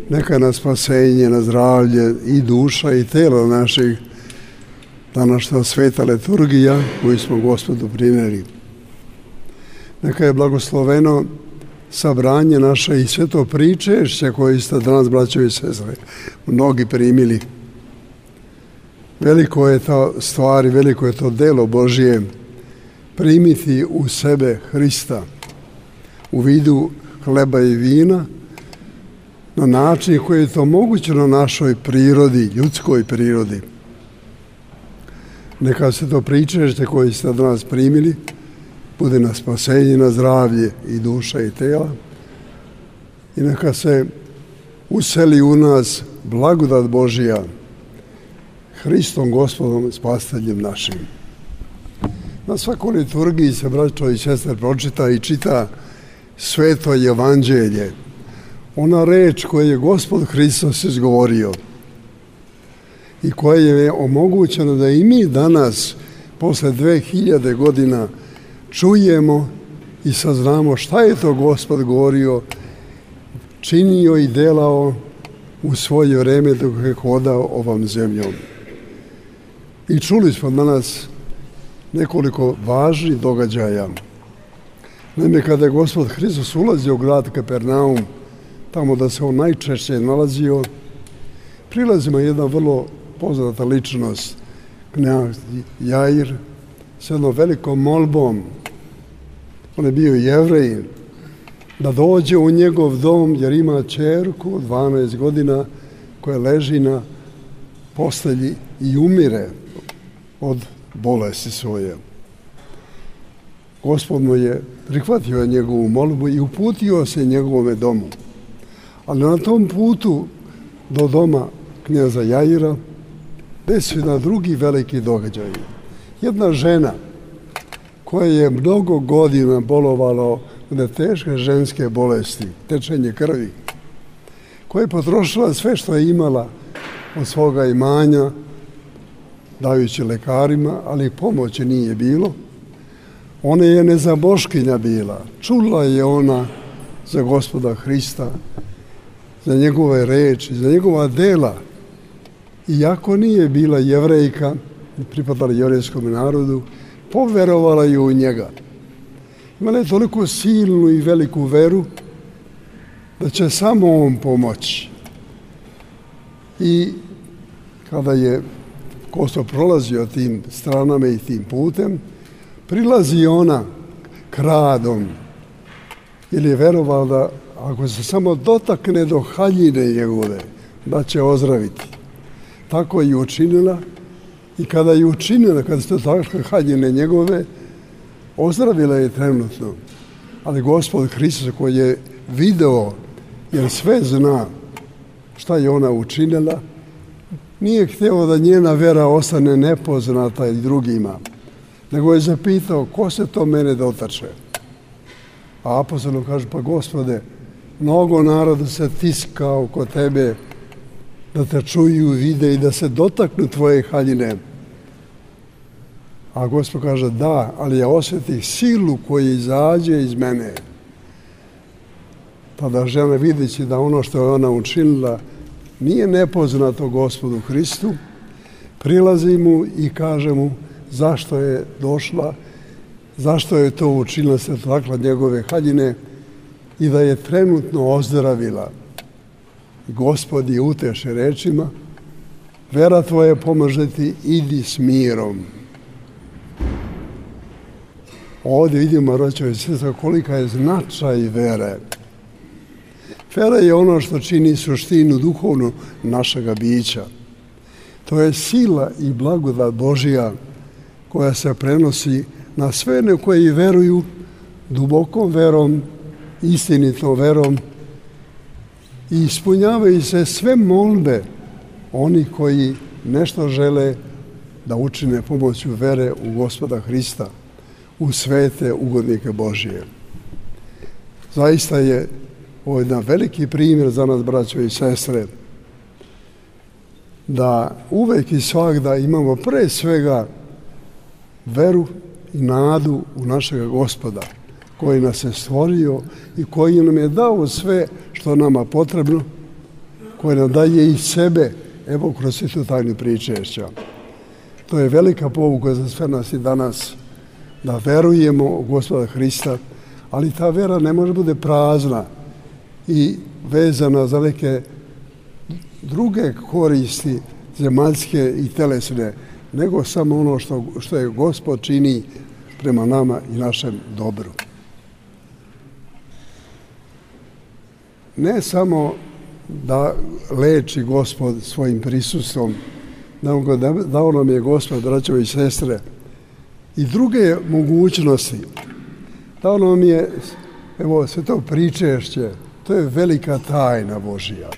Neka na spasenje, na zdravlje i duša i telo naših današnja sveta liturgija koju smo Gospodu primili. Neka je blagosloveno sabranje naše i sve to pričešće koje ste danas, braćo i sestre, mnogi primili. Veliko je to stvar i veliko je to delo Božije primiti u sebe Hrista u vidu hleba i vina na način koji je to moguće na našoj prirodi, ljudskoj prirodi. Neka se to pričešće koje ste danas primili bude na spasenje, na zdravlje i duša i tela i neka se useli u nas blagodat Božija Hristom Gospodom Spasiteljem našim. Na svakoj liturgiji se, braćo i sestre, pročita i čita sveto evanđelje, ona reč koju je Gospod Hristos izgovorio i koja je omogućena da i mi danas, posle 2000 godina, čujemo i saznamo šta je to Gospod govorio, činio i delao u svoje vreme dok je hodao ovom zemljom. I čuli smo danas nekoliko važnih događaja. Naime, kada je Gospod Hristos ulazio u grad Kapernaum, tamo da se on najčešće nalazio, prilazima jedna vrlo poznata ličnost, knjaz Jair, s jednom velikom molbom. On je bio Jevrej, da dođe u njegov dom jer ima ćerku od 12 godina koja leži na postelji i umire od bolesti svoje. Gospod mu je prihvatio njegovu molbu i uputio se njegovome domu. Ali na tom putu do doma knjaza Jaira desio na drugi veliki događaj. Jedna žena koja je mnogo godina bolovala od teške ženske bolesti, tečenje krvi, koja je potrošila sve što je imala od svoga imanja, dajući lekarima, ali pomoći nije bilo. Ona je nezaboškinja bila. Čula je ona za Gospoda Hrista, za njegove reči, za njegova dela. Iako nije bila Jevrejka, pripadala jevrejskom narodu, poverovala je u njega. Imala je toliko silnu i veliku veru da će samo on pomoći. I kada je Gospod prolazio tim stranama i tim putem, prilazi ona kradom, ili je verovala da ako se samo dotakne do haljine njegove, da će ozdraviti. Tako je učinila i kada je učinila, kada se dotakle haljine njegove, ozdravila je trenutno. Ali Gospod Hristos koji je video, jer sve zna šta je ona učinila, nije htio da njena vera ostane nepoznata i drugima, nego je zapitao ko se to mene dotače. A apostol kaže, pa Gospode, mnogo naroda se tiska oko tebe da te čuju, vide i da se dotaknu tvoje haljine. A Gospod kaže, da, ali ja osjetih silu koja izađe iz mene. Tada žena videći da ono što je ona učinila nije nepoznato Gospodu Hristu, prilazi mu i kaže mu zašto je došla, zašto je to učinila, se dotakla njegove haljine i da je trenutno ozdravila. Gospod je uteše rečima, vera tvoja pomaže ti, idi s mirom. Ovdje vidimo, braćo i sestre, kolika je značaj vere. Vera je ono što čini suštinu duhovnu našega bića. To je sila i blagodat Božija koja se prenosi na sve one koji veruju dubokom verom, istinitom verom i ispunjavaju se sve molbe oni koji nešto žele da učine pomoću vere u Gospoda Hrista, u svete ugodnike Božije. Zaista je ovo jedan veliki primjer za nas, braćo i sestre, da uvek i svagda imamo pre svega veru i nadu u našega Gospoda, koji nas je stvorio i koji nam je dao sve što nama potrebno, koje nam daje i sebe, evo kroz svijetu tajnu pričešća. To je velika pouka za sve nas i danas, da verujemo u Gospoda Hrista, ali ta vera ne može bude prazna i vezana za neke druge koristi zemaljske i telesne, nego samo ono što je Gospod čini prema nama i našem dobru. Ne samo da leči Gospod svojim prisustvom, nego dao nam je Gospod, braćo i sestre, i druge mogućnosti. Dao nam je, evo, sve to pričešće, to je velika tajna Božija.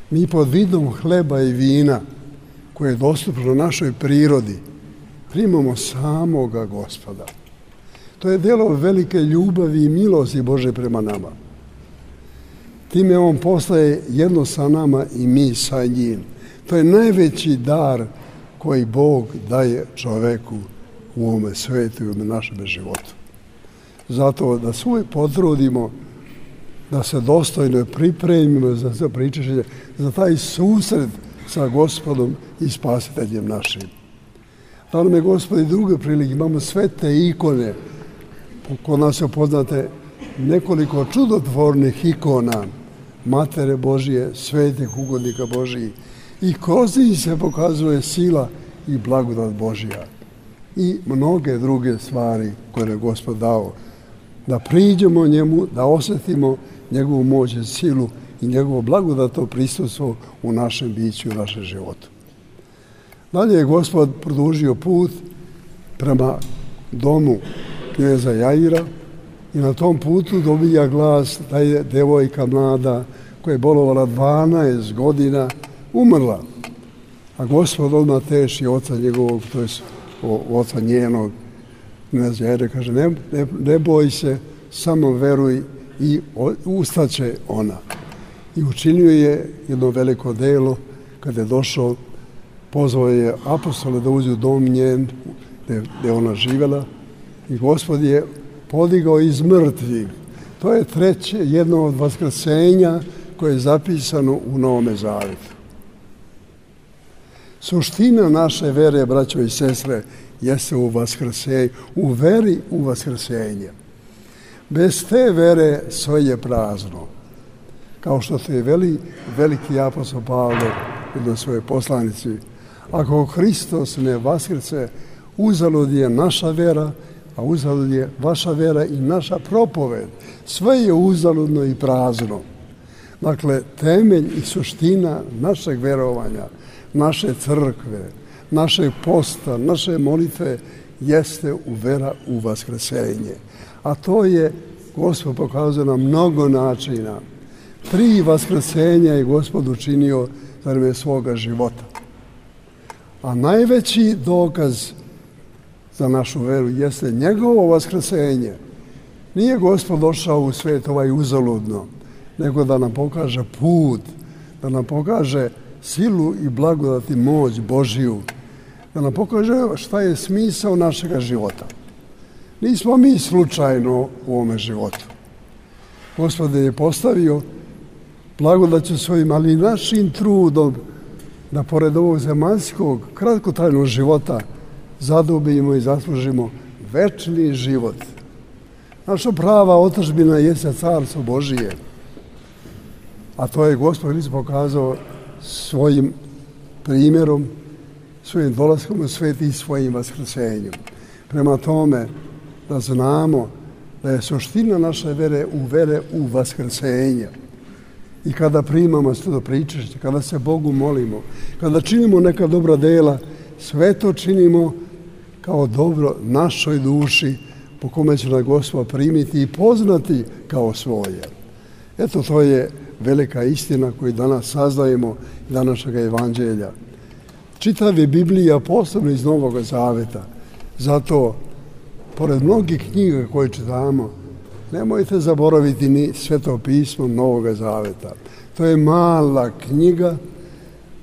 Mi pod vidom hleba i vina, koje je dostupno našoj prirodi, primamo samoga Gospoda. To je delo velike ljubavi i milosti Bože prema nama. Time on postaje jedno sa nama i mi sa njim. To je najveći dar koji Bog daje čoveku u ovome svetu i u našem životu. Zato da se uvijek potrudimo da se dostojno pripremimo za to pričešće, za taj susret sa Gospodom i Spasiteljem našim. Da nam je Gospod i druge prilike, imamo sve te ikone, kod nas su poznate nekoliko čudotvornih ikona Matere Božije, svetih ugodnika Božiji, i kroz njih se pokazuje sila i blagodat Božja i mnoge druge stvari koje je Gospod dao. Da priđemo njemu, da osjetimo njegovu moć i silu i njegovo blagodatno prisustvo u našem biću i u našem životu. Dalje je Gospod produžio put prema domu kneza Jaira i na tom putu dobija glas da je devojka mlada koja je bolovala 12 godina umrla. A Gospod odmah teši oca njegovog, to je oca njenog kneza Jaira, kaže ne boj se, samo veruj i ustaće ona. I učinio je jedno veliko delo. Kada je došao, pozvao je apostole da uđu u dom njen gdje ona živjela i Gospod je podigao iz mrtvih. To je jedno od vaskrsenja koje je zapisano u Novome Zavetu. Suština naše vere, braćo i sestre, jeste u vaskrsenju, u veri u vaskrsenje. Bez te vere sve je prazno. Kao što to je veliki apostol Pavle u svojoj poslanici. Ako Hristos ne vaskrce, uzalud je naša vera, a uzalud je vaša vera i naša propoved. Sve je uzaludno i prazno. Dakle, temelj i suština našeg verovanja, naše crkve, našeg posta, naše molitve jeste vera u vaskrsenje. A to je Gospod pokazao na mnogo načina. 3 vaskrsenja je Gospod učinio za vreme svoga života. A najveći dokaz za našu veru jeste njegovo vaskrsenje. Nije Gospod došao u svijet uzaludno, nego da nam pokaže put, da nam pokaže silu i blagodat i moć Božiju, da nam pokaže šta je smisao našega života. Nismo mi slučajno u ovome životu. Gospod je postavio blagodaću svojim, ali i našim trudom da pored ovog zemaljskog kratkotrajnog života zadobijemo i zaslužimo večni život. Naša prava otadžbina jeste Carstvo Božije, a to je Gospod Hrist pokazao svojim primjerom, svojim dolaskom u svijet i svojim vaskrsenjem. Prema tome, da znamo da je suština naše vere u vaskrsenje. I kada primamo sveto pričešće, kada se Bogu molimo, kada činimo neka dobra dela, sve to činimo kao dobro našoj duši, po kome će nas Gospod primiti i poznati kao svoje. Eto, to je velika istina koju danas saznajemo iz današnjeg evanđelja. Čitav je Biblija posebno iz Novog Zaveta. Zato, pored mnogih knjiga koje čitamo, nemojte zaboraviti ni Sveto pismo Novog Zaveta. To je mala knjiga,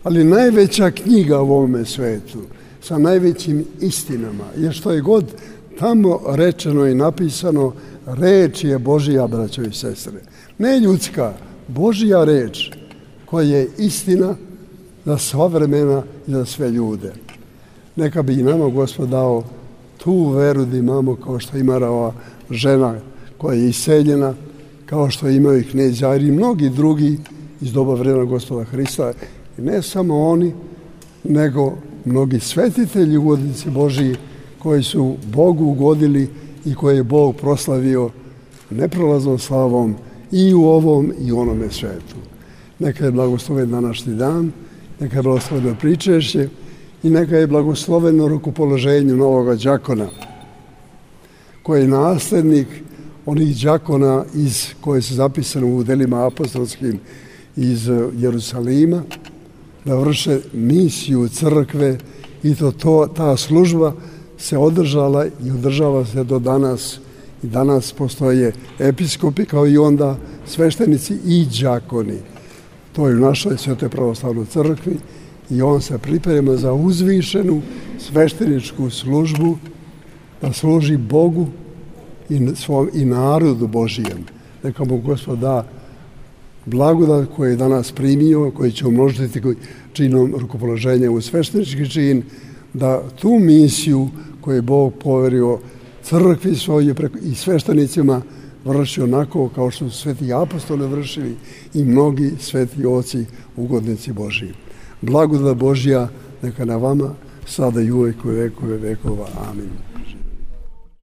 ali najveća knjiga u ovome svetu, sa najvećim istinama. Jer što je god tamo rečeno i napisano, reč je Božja, braćo i sestre. Ne ljudska, Božja reč. koja je istina za sva vremena i za sve ljude. Neka bi i nama Gospod dao tu veru da imamo kao što ima ova žena koja je iseljena, kao što imaju i knez Jair i mnogi drugi iz doba vremena Gospoda Hrista. I ne samo oni, nego mnogi svetitelji ugodnici Božiji koji su Bogu ugodili i koje je Bog proslavio neprolaznom slavom i u ovom i u onome svetu. Neka je blagosloven današnji dan, neka je blagosloveno pričešće i neka je blagosloveno rukopoloženje novoga đakona, koji je naslednik onih đakona koje su zapisane u delima apostolskim iz Jerusalima, da vrše misiju crkve i ta služba se održala i održava se do danas. I danas postoje episkopi kao i onda sveštenici i đakoni. To je u našoj Svetoj pravoslavnoj crkvi i on se priprema za uzvišenu svešteničku službu da služi Bogu i narodu Božijem. Neka mu Gospod da blagodat koji je danas primio, koji će umnožiti činom rukopoloženja u sveštenički čin, da tu misiju koju je Bog poverio crkvi svoje i sveštenicima vrši onako kao što su sveti apostoli vršili i mnogi sveti oci ugodnici Božiji. Blagodat Božja neka na vama sada i uvek u vekove vekova. Amin.